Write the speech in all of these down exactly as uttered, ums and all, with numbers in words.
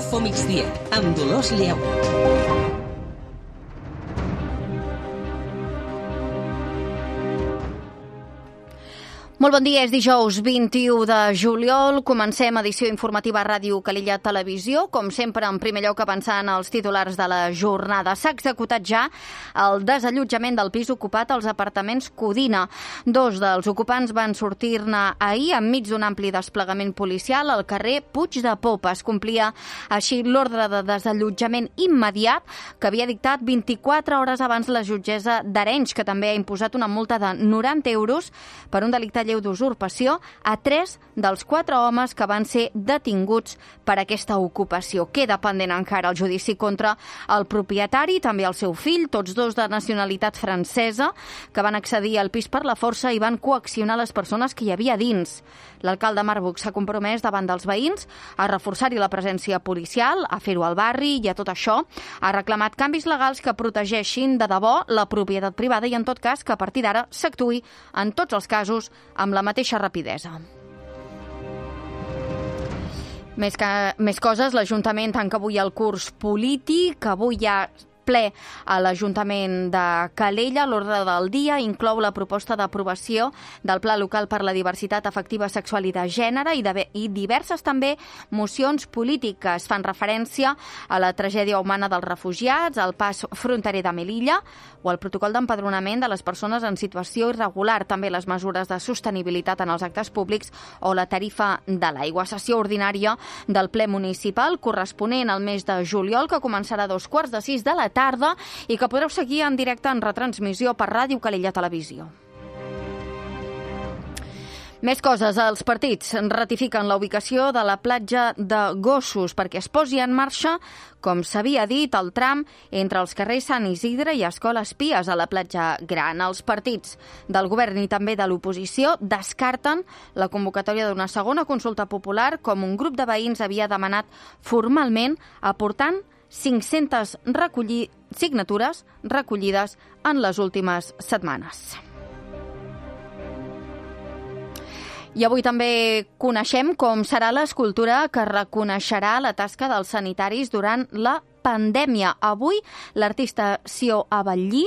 Info Migdia, amb Dolors Lleu. Molt bon dia, és dijous vint-i-u de juliol. Comencem edició informativa a Ràdio Calella Televisió. Com sempre, en primer lloc, avançant els titulars de la jornada. S'ha executat ja el desallotjament del pis ocupat als apartaments Codina. Dos dels ocupants van sortir-ne ahir enmig d'un ampli desplegament policial al carrer Puig de Popa. Es complia així l'ordre de desallotjament immediat que havia dictat vint-i-quatre hores abans la jutgessa d'Arenys, que també ha imposat una multa de noranta euros per un delicte lleu d'usurpació a tres dels quatre homes que van ser detinguts per aquesta ocupació. Queda pendent encara el judici contra el propietari i també el seu fill, tots dos de nacionalitat francesa, que van accedir al pis per la força i van coaccionar les persones que hi havia dins. L'alcalde Marbuch s'ha compromès davant dels veïns a reforçar-hi la presència policial, a fer-ho al barri i a tot això ha reclamat canvis legals que protegeixin de debò la propietat privada i en tot cas que a partir d'ara s'actuï en tots els casos amb la mateixa rapidesa. Més, que, més coses, l'Ajuntament tanca avui el curs polític, avui hi ha ple a l'Ajuntament de Calella. L'ordre del dia inclou la proposta d'aprovació del Pla Local per la Diversitat Afectiva, Sexual i de Gènere i, de, i diverses també mocions polítiques. Fan referència a la tragèdia humana dels refugiats, al pas fronterer de Melilla o al protocol d'empadronament de les persones en situació irregular, també les mesures de sostenibilitat en els actes públics o la tarifa de l'aigua. Sessió ordinària del ple municipal corresponent al mes de juliol, que començarà a dos quarts de sis de la tarda i que podreu seguir en directe en retransmissió per Ràdio Calella Televisió. Més coses. Els partits ratifiquen la ubicació de la platja de Gossos perquè es posi en marxa, com s'havia dit, el tram entre els carrers Sant Isidre i Escoles Pies a la platja Gran. Els partits del govern i també de l'oposició descarten la convocatòria d'una segona consulta popular, com un grup de veïns havia demanat formalment, aportant cinc-centes recolli... signatures recollides en les últimes setmanes. I avui també coneixem com serà l'escultura que reconeixerà la tasca dels sanitaris durant la pandèmia. Avui l'artista Sió Avellí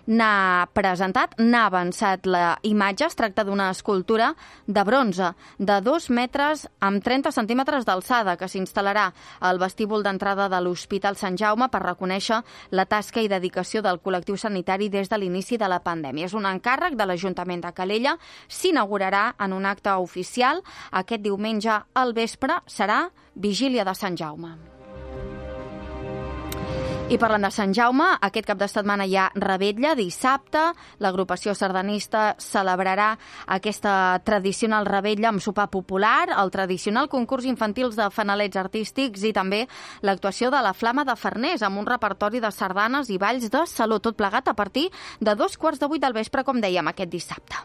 n'ha presentat, n'ha avançat la imatge. Es tracta d'una escultura de bronze de dos metres amb trenta centímetres d'alçada que s'instal·larà al vestíbul d'entrada de l'Hospital Sant Jaume per reconèixer la tasca i dedicació del col·lectiu sanitari des de l'inici de la pandèmia. És un encàrrec de l'Ajuntament de Calella. S'inaugurarà en un acte oficial aquest diumenge al vespre. Serà Vigília de Sant Jaume. I parlant de Sant Jaume, aquest cap de setmana hi ha revetlla. Dissabte, l'agrupació sardanista celebrarà aquesta tradicional revetlla amb sopar popular, el tradicional concurs infantils de fanalets artístics i també l'actuació de la Flama de Farners amb un repertori de sardanes i balls de saló, tot plegat a partir de dos quarts de vuit del vespre, com dèiem, aquest dissabte.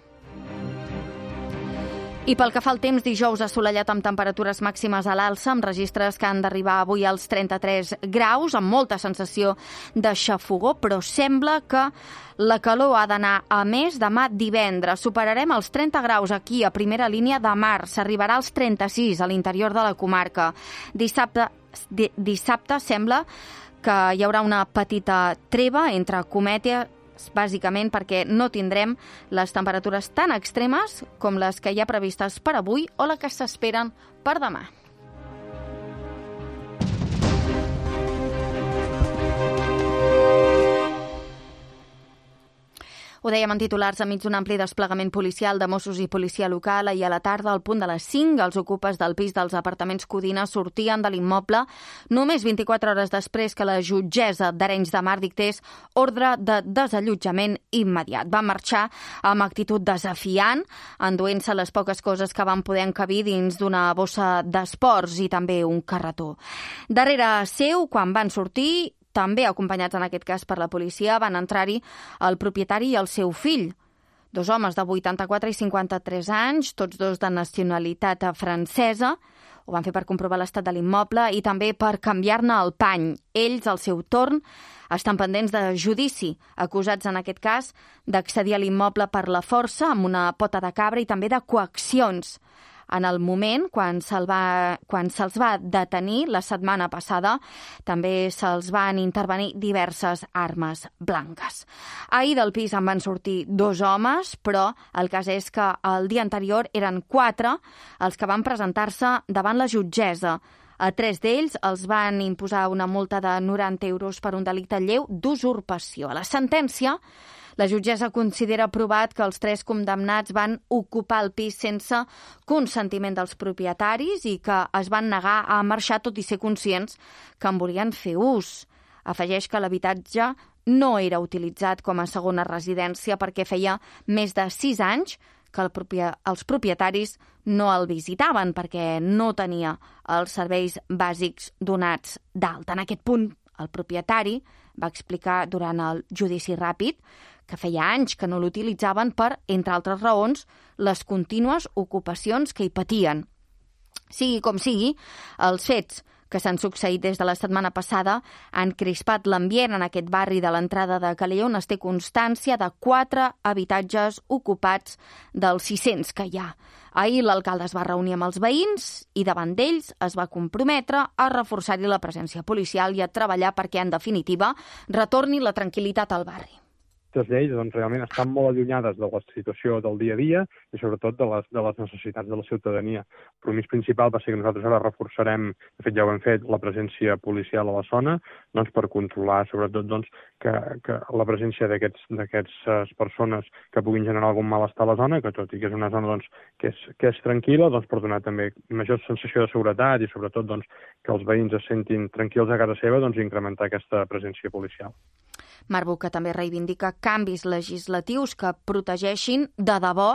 I pel que fa al temps, dijous assolellat amb temperatures màximes a l'alça, amb registres que han d'arribar avui als trenta-tres graus, amb molta sensació de xafogó, però sembla que la calor ha d'anar a més demà divendres. Superarem els trenta graus aquí a primera línia de mar, s'arribarà als trenta-sis a l'interior de la comarca. Dissabte, di, dissabte sembla que hi haurà una petita treva entre cometes, bàsicament perquè no tindrem les temperatures tan extremes com les que hi ha previstes per avui o les que s'esperen per demà. Ho dèiem en titulars, enmig d'un ampli desplegament policial de Mossos i policia local, i a la tarda, al punt de les cinc, els ocupes del pis dels apartaments Codina sortien de l'immoble només vint-i-quatre hores després que la jutgessa d'Arenys de Mar dictés ordre de desallotjament immediat. Van marxar amb actitud desafiant, enduent-se les poques coses que van poder encabir dins d'una bossa d'esports i també un carretó. Darrere seu, quan van sortir, també acompanyats en aquest cas per la policia, van entrar-hi el propietari i el seu fill. Dos homes de vuitanta-quatre i cinquanta-tres anys, tots dos de nacionalitat francesa. Ho van fer per comprovar l'estat de l'immoble i també per canviar-ne el pany. Ells, al seu torn, estan pendents de judici, acusats en aquest cas d'accedir a l'immoble per la força amb una pota de cabra i també de coaccions. En el moment, quan se'l va, quan se'ls va detenir la setmana passada, també se'ls van intervenir diverses armes blanques. Ahir del pis en van sortir dos homes, però el cas és que el dia anterior eren quatre els que van presentar-se davant la jutgessa. A tres d'ells els van imposar una multa de noranta euros per un delicte lleu d'usurpació. A la sentència, la jutgessa considera provat que els tres condemnats van ocupar el pis sense consentiment dels propietaris i que es van negar a marxar tot i ser conscients que en volien fer ús. Afegeix que l'habitatge no era utilitzat com a segona residència perquè feia més de sis anys que el propie... els propietaris no el visitaven perquè no tenia els serveis bàsics donats d'alta. En aquest punt, el propietari va explicar durant el judici ràpid que feia anys que no l'utilitzaven per, entre altres raons, les contínues ocupacions que hi patien. Sigui com sigui, els fets que s'han succeït des de la setmana passada han crispat l'ambient en aquest barri de l'entrada de Calella, on es té constància de quatre habitatges ocupats dels sis-cents que hi ha. Ahir l'alcalde es va reunir amb els veïns i davant d'ells es va comprometre a reforçar-hi la presència policial i a treballar perquè, en definitiva, retorni la tranquil·litat al barri. Aquestes lleis doncs, realment estan molt allunyades de la situació del dia a dia i sobretot de les, de les necessitats de la ciutadania. El compromís principal va ser que nosaltres ara reforçarem, de fet ja ho hem fet, la presència policial a la zona doncs, per controlar sobretot doncs, que, que la presència d'aquestes persones que puguin generar algun malestar a la zona, que tot i que és una zona doncs, que, és, que és tranquil·la, doncs, per donar també major sensació de seguretat i sobretot doncs, que els veïns es sentin tranquils a casa seva, doncs, incrementar aquesta presència policial. Marc Buch, que també reivindica canvis legislatius que protegeixin de debò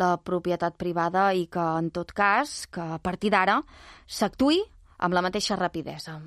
la propietat privada i que, en tot cas, que a partir d'ara s'actuï amb la mateixa rapidesa.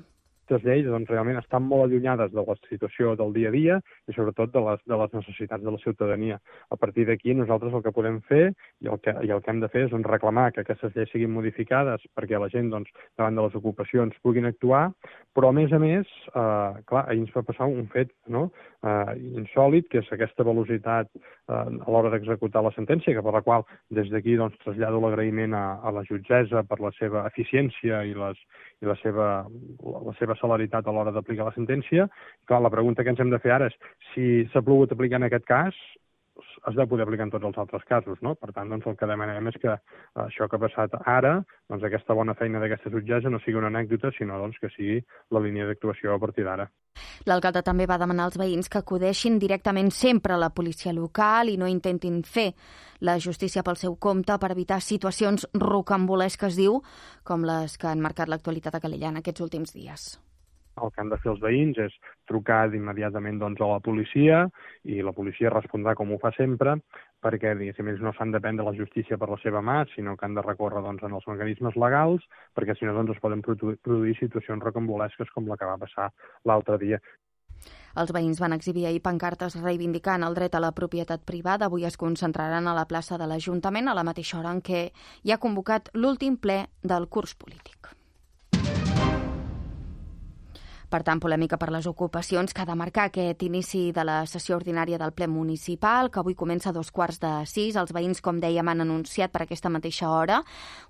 Aquestes lleis doncs, realment estan molt allunyades de la situació del dia a dia i sobretot de les, de les necessitats de la ciutadania. A partir d'aquí nosaltres el que podem fer i el que, i el que hem de fer és doncs, reclamar que aquestes lleis siguin modificades perquè la gent doncs, davant de les ocupacions puguin actuar, però a més a més, eh, clar, ahir ens va passar un fet no? eh, insòlit, que és aquesta velocitat eh, a l'hora d'executar la sentència, que per la qual des d'aquí doncs, trasllado l'agraïment a, a la jutgessa per la seva eficiència i, les, i la seva, la, la seva celeritat a l'hora d'aplicar la sentència. Clar, la pregunta que ens hem de fer ara és si s'ha pogut aplicar en aquest cas, es deu poder aplicar en tots els altres casos, no? Per tant, doncs, el que demanem és que això que ha passat ara, doncs, aquesta bona feina d'aquesta jutgessa no sigui una anècdota, sinó doncs, que sigui la línia d'actuació a partir d'ara. L'alcalde també va demanar als veïns que acudeixin directament sempre a la policia local i no intentin fer la justícia pel seu compte per evitar situacions rocambolesques, diu, com les que han marcat l'actualitat a Calella en aquests últims dies. El que han de fer els veïns és trucar immediatament doncs, a la policia i la policia respondrà com ho fa sempre perquè diguéssim, ells no s'han de prendre la justícia per la seva mà, sinó que han de recórrer doncs, en els mecanismes legals perquè si no doncs, es poden produir situacions rocambolesques com la que va passar l'altre dia. Els veïns van exhibir ahir pancartes reivindicant el dret a la propietat privada. Avui es concentraran a la plaça de l'Ajuntament a la mateixa hora en què hi ha convocat l'últim ple del curs polític. Per tant, polèmica per les ocupacions que ha de marcar aquest inici de la sessió ordinària del ple municipal, que avui comença a dos quarts de sis. Els veïns, com dèiem, han anunciat per aquesta mateixa hora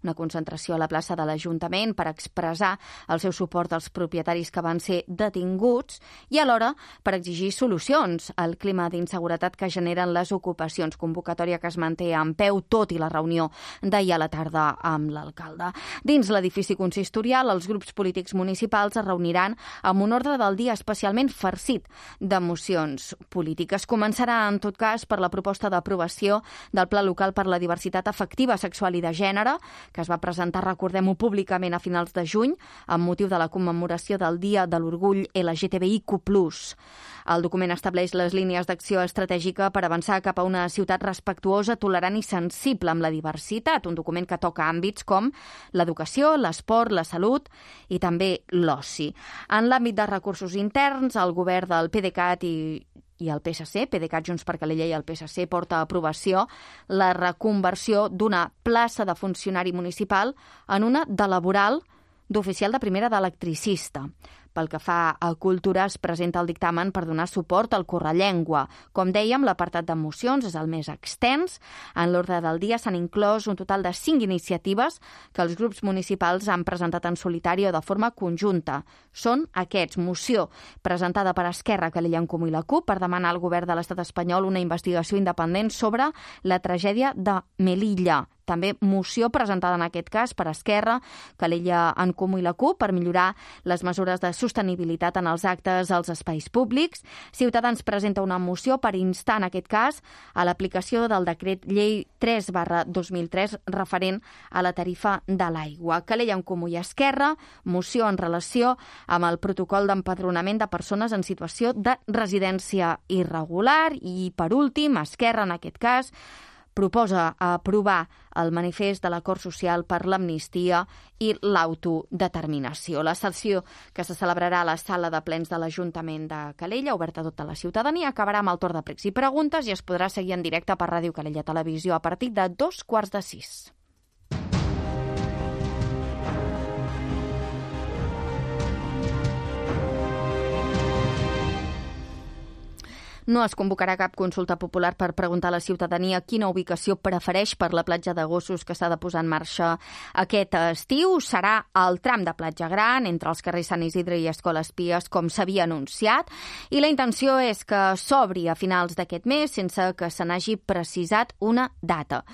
una concentració a la plaça de l'Ajuntament per expressar el seu suport als propietaris que van ser detinguts i alhora per exigir solucions al clima d'inseguretat que generen les ocupacions, convocatòria que es manté en peu tot i la reunió d'ahir a la tarda amb l'alcalde. Dins l'edifici consistorial, els grups polítics municipals es reuniran amb amb un ordre del dia especialment farcit de mocions polítiques. Començarà, en tot cas, per la proposta d'aprovació del Pla Local per la Diversitat Afectiva, Sexual i de Gènere, que es va presentar, recordem-ho, públicament a finals de juny, amb motiu de la commemoració del Dia de l'Orgull L G T B I Q plus. El document estableix les línies d'acció estratègica per avançar cap a una ciutat respectuosa, tolerant i sensible amb la diversitat, un document que toca àmbits com l'educació, l'esport, la salut i també l'oci. En l'àmbit de recursos interns, el govern del PDeCAT i i el P S C, PDeCAT, Junts per Calella i el P S C, porta a aprovació la reconversió d'una plaça de funcionari municipal en una de laboral d'oficial de primera d'electricista. Pel que fa a cultura, es presenta el dictamen per donar suport al Correllengua. Com dèiem, l'apartat de mocions és el més extens. En l'ordre del dia s'han inclòs un total de cinc iniciatives que els grups municipals han presentat en solitari o de forma conjunta. Són aquests: moció presentada per Esquerra, Calella en Comú i la CUP per demanar al govern de l'estat espanyol una investigació independent sobre la tragèdia de Melilla. També moció presentada en aquest cas per Esquerra, Calella en Comú i la CUP per millorar les mesures de sostenibilitat en els actes als espais públics. Ciutadans presenta una moció per instar en aquest cas a l'aplicació del decret llei tres barra dos mil tres referent a la tarifa de l'aigua. Calella en Comú i Esquerra, moció en relació amb el protocol d'empadronament de persones en situació de residència irregular i, per últim, Esquerra en aquest cas proposa aprovar el manifest de l'acord social per l'amnistia i l'autodeterminació. La sessió que se celebrarà a la sala de plens de l'Ajuntament de Calella, oberta a tota la ciutadania, acabarà amb el torn de pregs i preguntes i es podrà seguir en directe per Ràdio Calella Televisió a partir de dos quarts de sis. No es convocarà cap consulta popular per preguntar a la ciutadania quina ubicació prefereix per la platja de gossos que s'ha de posar en marxa aquest estiu. Serà el tram de platja gran entre els carrers Sant Isidre i Escola Espies, com s'havia anunciat, i la intenció és que s'obri a finals d'aquest mes sense que se n'hagi precisat una data.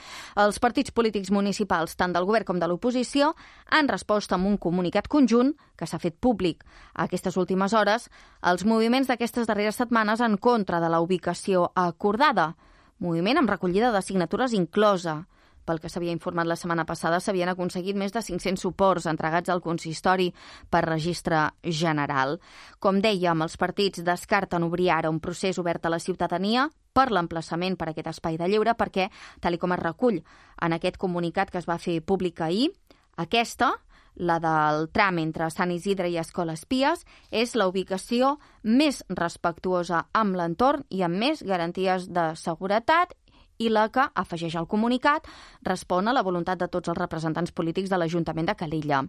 Els partits polítics municipals, tant del govern com de l'oposició, han respost amb un comunicat conjunt que s'ha fet públic a aquestes últimes hores els moviments d'aquestes darreres setmanes en contra de la ubicació acordada. Moviment amb recollida de signatures inclosa. Pel que s'havia informat la setmana passada, s'havien aconseguit més de cinc-cents suports entregats al consistori per registre general. Com dèiem, els partits descarten obrir ara un procés obert a la ciutadania per l'emplaçament per a aquest espai de lleure perquè, tal com es recull en aquest comunicat que es va fer públic ahir, aquesta, la del tram entre Sant Isidre i Escola Espies, és la ubicació més respectuosa amb l'entorn i amb més garanties de seguretat i la que, afegeix el comunicat, respon a la voluntat de tots els representants polítics de l'Ajuntament de Calella.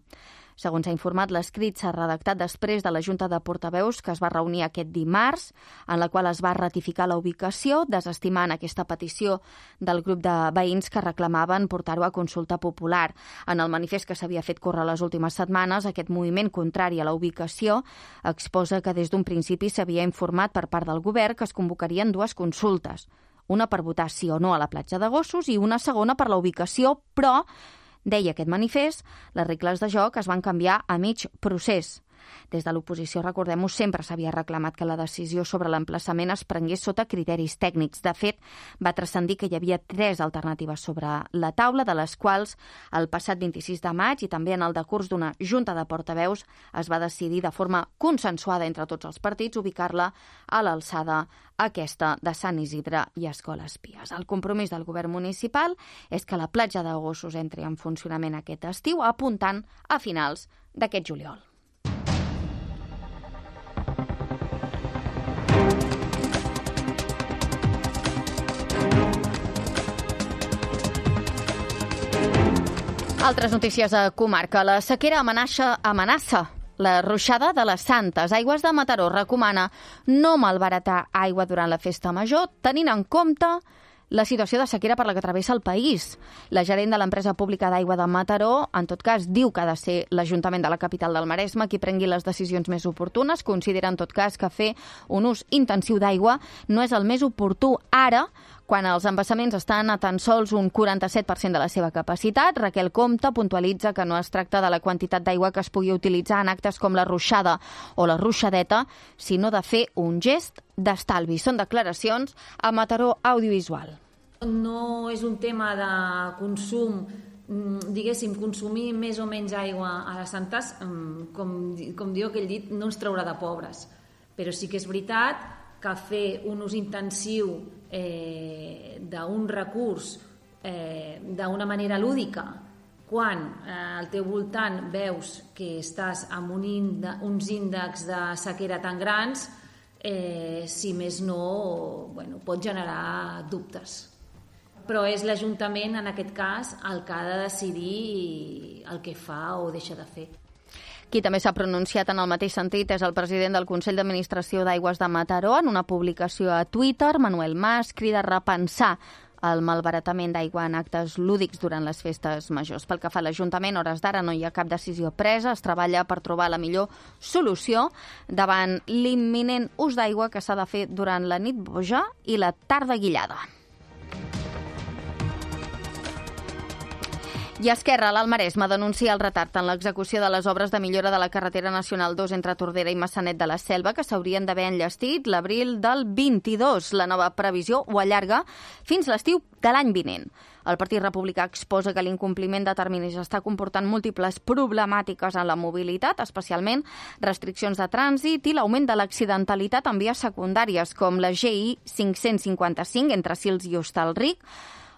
Segons s'ha informat, l'escrit s'ha redactat després de la Junta de Portaveus que es va reunir aquest dimarts, en la qual es va ratificar la ubicació, desestimant aquesta petició del grup de veïns que reclamaven portar-ho a consulta popular. En el manifest que s'havia fet córrer les últimes setmanes, aquest moviment contrari a la ubicació exposa que des d'un principi s'havia informat per part del govern que es convocarien dues consultes, una per votar sí o no a la platja de gossos i una segona per la ubicació, però, deia aquest manifest, les regles de joc es van canviar a mig procés. Des de l'oposició, recordem-ho, sempre s'havia reclamat que la decisió sobre l'emplaçament es prengués sota criteris tècnics. De fet, va transcendir que hi havia tres alternatives sobre la taula, de les quals el passat vint-i-sis de maig i també en el decurs d'una junta de portaveus es va decidir de forma consensuada entre tots els partits ubicar-la a l'alçada aquesta de Sant Isidre i Escola Espies. El compromís del govern municipal és que la platja de gossos entri en funcionament aquest estiu, apuntant a finals d'aquest juliol. Altres notícies a comarca. La sequera amenaça, amenaça la ruixada de les Santes. Aigües de Mataró recomana no malbaratar aigua durant la festa major, tenint en compte la situació de sequera per la que travessa el país. La gerent de l'empresa pública d'aigua de Mataró, en tot cas, diu que ha de ser l'Ajuntament de la capital del Maresme qui prengui les decisions més oportunes. Considera, en tot cas, que fer un ús intensiu d'aigua no és el més oportú ara, quan els embassaments estan a tan sols un quaranta-set per cent de la seva capacitat. Raquel Comte puntualitza que no es tracta de la quantitat d'aigua que es pugui utilitzar en actes com la ruixada o la ruixadeta, sinó de fer un gest d'estalvi. Són declaracions a Mataró Audiovisual. No és un tema de consum, diguéssim, consumir més o menys aigua a les Santes, com, com diu aquell dit, no ens traurà de pobres. Però sí que és veritat que fer un ús intensiu eh, d'un recurs eh, d'una manera lúdica, quan eh, al teu voltant veus que estàs amb un índex, uns índexs de sequera tan grans, eh, si més no, bueno, pot generar dubtes. Però és l'Ajuntament, en aquest cas, el que ha de decidir el que fa o deixa de fer. Qui també s'ha pronunciat en el mateix sentit és el president del Consell d'Administració d'Aigües de Mataró. En una publicació a Twitter, Manuel Mas crida a repensar el malbaratament d'aigua en actes lúdics durant les festes majors. Pel que fa a l'Ajuntament, a hores d'ara no hi ha cap decisió presa. Es treballa per trobar la millor solució davant l'imminent ús d'aigua que s'ha de fer durant la nit boja i la tarda guillada. I Esquerra, l'Alt Maresme, denuncia el retard en l'execució de les obres de millora de la carretera nacional dos entre Tordera i Maçanet de la Selva, que s'haurien d'haver enllestit l'abril del vint-i-dos. La nova previsió ho allarga fins l'estiu de l'any vinent. El Partit Republicà exposa que l'incompliment de terminis està comportant múltiples problemàtiques en la mobilitat, especialment restriccions de trànsit i l'augment de l'accidentalitat en vies secundàries, com la G I cinc-cents cinquanta-cinc entre Sils i Hostalric,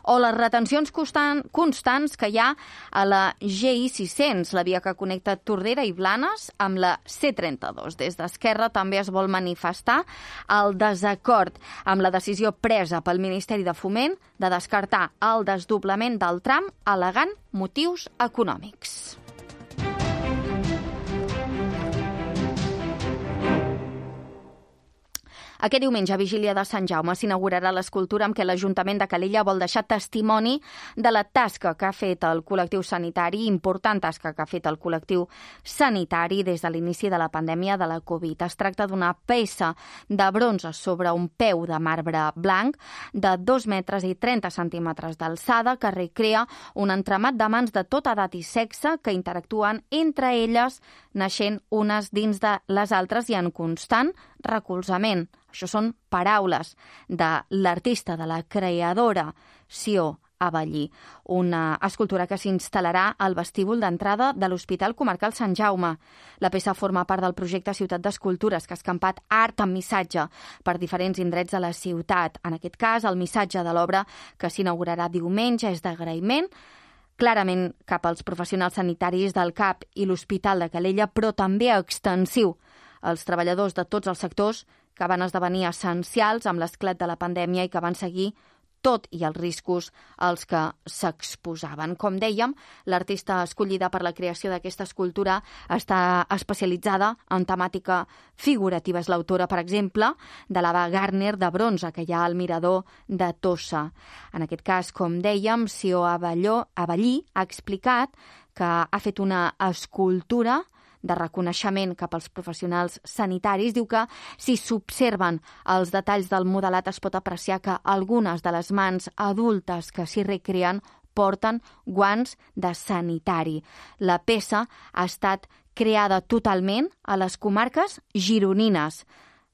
o les retencions constant, constants que hi ha a la G I sis-cents, la via que connecta Tordera i Blanes amb la C trenta-dos. Des d'Esquerra també es vol manifestar el desacord amb la decisió presa pel Ministeri de Foment de descartar el desdoblament del tram al·legant motius econòmics. Aquest diumenge, vigília de Sant Jaume, s'inaugurarà l'escultura amb què l'Ajuntament de Calella vol deixar testimoni de la tasca que ha fet el col·lectiu sanitari, important tasca que ha fet el col·lectiu sanitari des de l'inici de la pandèmia de la Covid. Es tracta d'una peça de bronze sobre un peu de marbre blanc de dos metres i trenta centímetres d'alçada que recrea un entramat de mans de tota edat i sexe que interactuen entre elles, naixent unes dins de les altres i en constant recolzament. Això són paraules de l'artista, de la creadora Sió Avellí, una escultura que s'instal·larà al vestíbul d'entrada de l'Hospital Comarcal Sant Jaume. La peça forma part del projecte Ciutat d'Escultures, que ha escampat art amb missatge per diferents indrets de la ciutat. En aquest cas, el missatge de l'obra que s'inaugurarà diumenge és d'agraïment clarament cap als professionals sanitaris del C A P i l'Hospital de Calella, però també extensiu als treballadors de tots els sectors que van esdevenir essencials amb l'esclat de la pandèmia i que van seguir tot i els riscos als que s'exposaven. Com dèiem, l'artista escollida per la creació d'aquesta escultura està especialitzada en temàtica figurativa. És l'autora, per exemple, de l'Ava Gardner de bronze que hi ha al mirador de Tossa. En aquest cas, com dèiem, Sió Avellí ha explicat que ha fet una escultura de reconeixement cap als professionals sanitaris. Diu que si s'observen els detalls del modelat es pot apreciar que algunes de les mans adultes que s'hi recreen porten guants de sanitari. La peça ha estat creada totalment a les comarques gironines.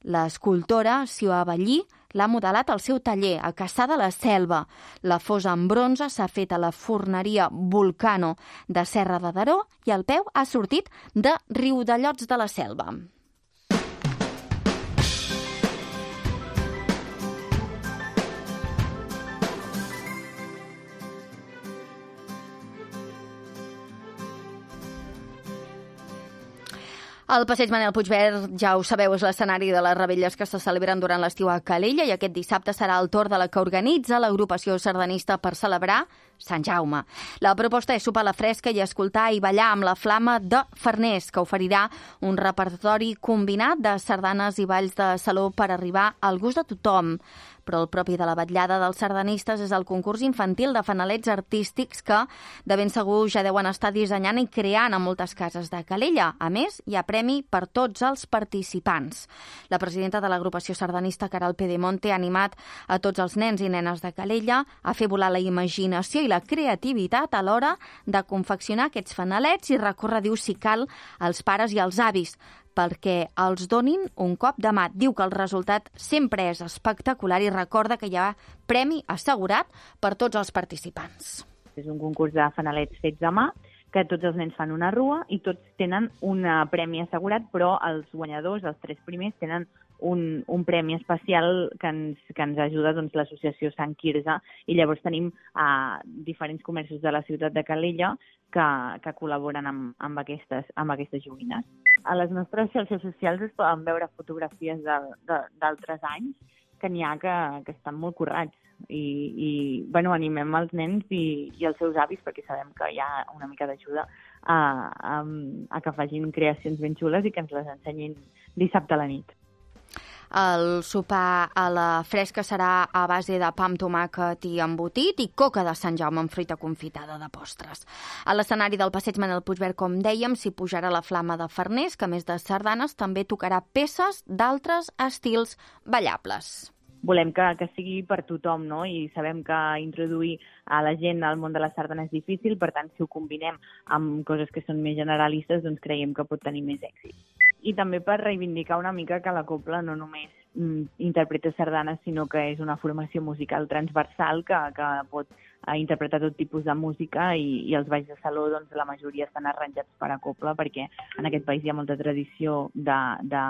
L'escultora Sió Avellí l'ha modelat al seu taller a Cassà de la Selva. La fosa en bronze s'ha fet a la forneria Volcano de Serra de Daró i el peu ha sortit de Riudellots de la Selva. El passeig Manel Puigverd, ja ho sabeu, és l'escenari de les revetlles que se celebren durant l'estiu a Calella i aquest dissabte serà el torn de la que organitza l'agrupació sardanista per celebrar Sant Jaume. La proposta és sopar a la fresca i escoltar i ballar amb la Flama de Farners, que oferirà un repertori combinat de sardanes i balls de saló per arribar al gust de tothom. Però el propi de la vetllada dels sardanistes és el concurs infantil de fanalets artístics que de ben segur ja deuen estar dissenyant i creant a moltes cases de Calella. A més, hi ha premi per tots els participants. La presidenta de l'agrupació sardanista, Caral Pedemonte, ha animat a tots els nens i nenes de Calella a fer volar la imaginació i la creativitat a l'hora de confeccionar aquests fanalets i recórrer, diu, si cal, als pares i als avis, perquè els donin un cop de mà. Diu que el resultat sempre és espectacular i recorda que hi ha premi assegurat per tots els participants. És un concurs de fanalets fets a mà, que tots els nens fan una rua i tots tenen un premi assegurat, però els guanyadors, els tres primers, tenen un, un premi especial que ens, que ens ajuda doncs, l'associació Sant Quirze, i llavors tenim uh, diferents comerços de la ciutat de Calella que, que col·laboren amb, amb, aquestes, amb aquestes joguines. A les nostres xarxes socials es poden veure fotografies d'altres anys que n'hi ha que, que estan molt currats i, i bueno, animem els nens i, i els seus avis, perquè sabem que hi ha una mica d'ajuda a, a, a que facin creacions ben xules i que ens les ensenyin dissabte a la nit. El sopar a la fresca serà a base de pa amb tomàquet i embotit i coca de Sant Jaume amb fruita confitada de postres. A l'escenari del Passeig Manel Puigverd, com dèiem, s'hi pujarà la Flama de Farners, que a més de sardanes també tocarà peces d'altres estils ballables. Volem que, que sigui per tothom, no? I sabem que introduir a la gent al món de la sardana és difícil, per tant, si ho combinem amb coses que són més generalistes, doncs creiem que pot tenir més èxit. I també per reivindicar una mica que la cobla no només mm, interpreta sardanes, sinó que és una formació musical transversal que, que pot eh, interpretar tot tipus de música i, i els balls de saló, doncs, la majoria estan arranjats per a cobla, perquè en aquest país hi ha molta tradició de, de,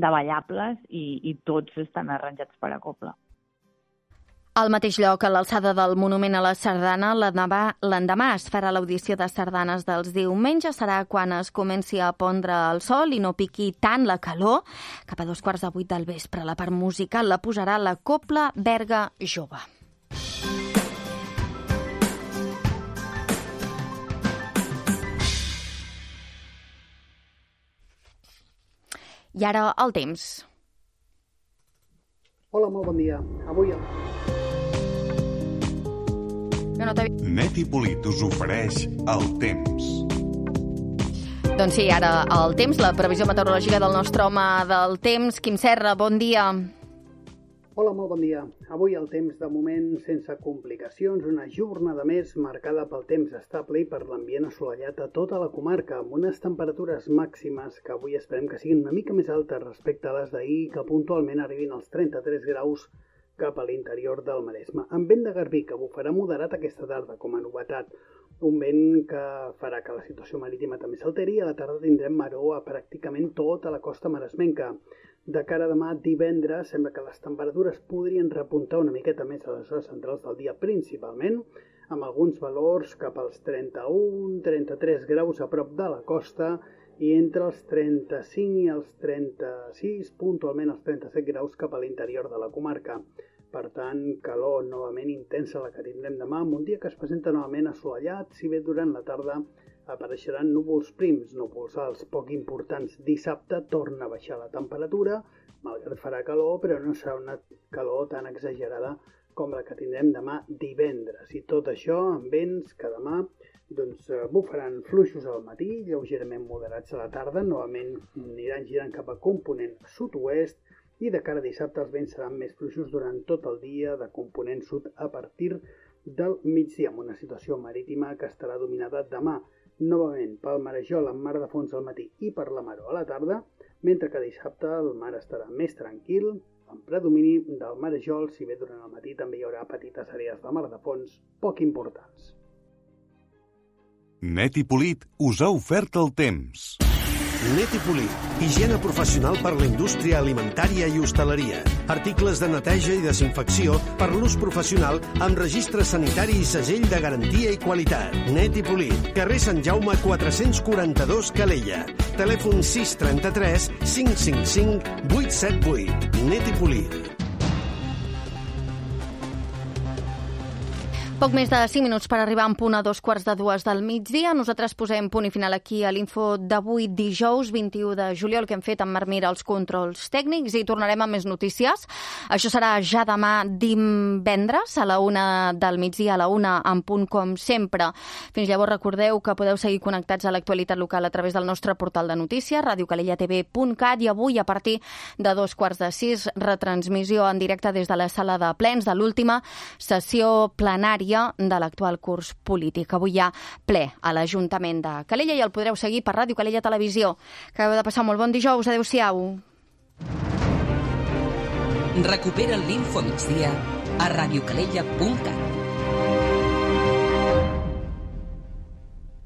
de ballables i, i tots estan arranjats per a cobla. Al mateix lloc, a l'alçada del Monument a la Sardana, l'endemà es farà l'audició de sardanes dels diumenges. Serà quan es comenci a pondre el sol i no piqui tant la calor. Cap a dos quarts de vuit del vespre, la part musical la posarà la Cobla Berga Jove. I ara el temps. Hola, molt bon dia. Avui... No, no Net i Polit us ofereix el temps. Doncs sí, ara el temps, la previsió meteorològica del nostre home del temps. Quim Serra, bon dia. Hola, molt bon dia. Avui el temps, de moment, sense complicacions, una jornada més marcada pel temps estable i per l'ambient assolellat a tota la comarca, amb unes temperatures màximes que avui esperem que siguin una mica més altes respecte a les d'ahir, que puntualment arribin als trenta-tres graus cap a l'interior del Maresme. Amb vent de garbí, que bufarà moderat aquesta tarda, com a novetat. Un vent que farà que la situació marítima també s'alteri i a la tarda tindrem maror a pràcticament tota la costa maresmenca. De cara a demà, divendres, sembla que les temperatures podrien repuntar una miqueta més a les hores centrals del dia, principalment, amb alguns valors cap als trenta-un trenta-tres graus a prop de la costa i entre els trenta-cinc i els trenta-sis, puntualment els trenta-set graus cap a l'interior de la comarca. Per tant, calor novament intensa la que tindrem demà, amb un dia que es presenta novament assolellat, si bé durant la tarda apareixeran núvols prims, núvols alts poc importants. Dissabte torna a baixar la temperatura, malgrat farà calor, però no serà una calor tan exagerada com la que tindrem demà divendres. I tot això amb vents que demà doncs, bufaran fluixos al matí, lleugerament moderats a la tarda, novament aniran girant cap a component sud-oest i de cara a dissabte els vents seran més fluixos durant tot el dia de component sud a partir del migdia, amb una situació marítima que estarà dominada demà novament pel marejol amb mar de fons al matí i per la maró a la tarda, mentre que dissabte el mar estarà més tranquil, amb predomini del marejol, si bé durant el matí també hi haurà petites àrees de mar de fons poc importants. Net i Polit us ha ofert el temps. Net i Polit, higiene professional per la indústria alimentària i hostaleria. Articles de neteja i desinfecció per l'ús professional amb registre sanitari i segell de garantia i qualitat. Net i Polit, carrer Sant Jaume quatre-cents quaranta-dos, Calella. Telèfon sis trenta-tres cinc cinc cinc vuit set vuit. Net i Polit. Poc més de cinc minuts per arribar en punt a dos quarts de dues del migdia. Nosaltres posem punt i final aquí a l'info d'avui, dijous vint-i-u de juliol, que hem fet amb Marc Mira els controls tècnics, i tornarem amb més notícies. Això serà ja demà divendres a la una del migdia, a la una en punt com sempre. Fins llavors recordeu que podeu seguir connectats a l'actualitat local a través del nostre portal de notícies, radio calella t v punt cat, i avui a partir de dos quarts de sis, retransmissió en directe des de la sala de plens de l'última sessió plenària de l'actual curs polític. Avui hi ha ple a l'Ajuntament de Calella i el podreu seguir per Ràdio Calella Televisió. Acabeu de passar molt bon dijous. Adéu-siau. Recupera l'Info Migdia a radio calella punt cat.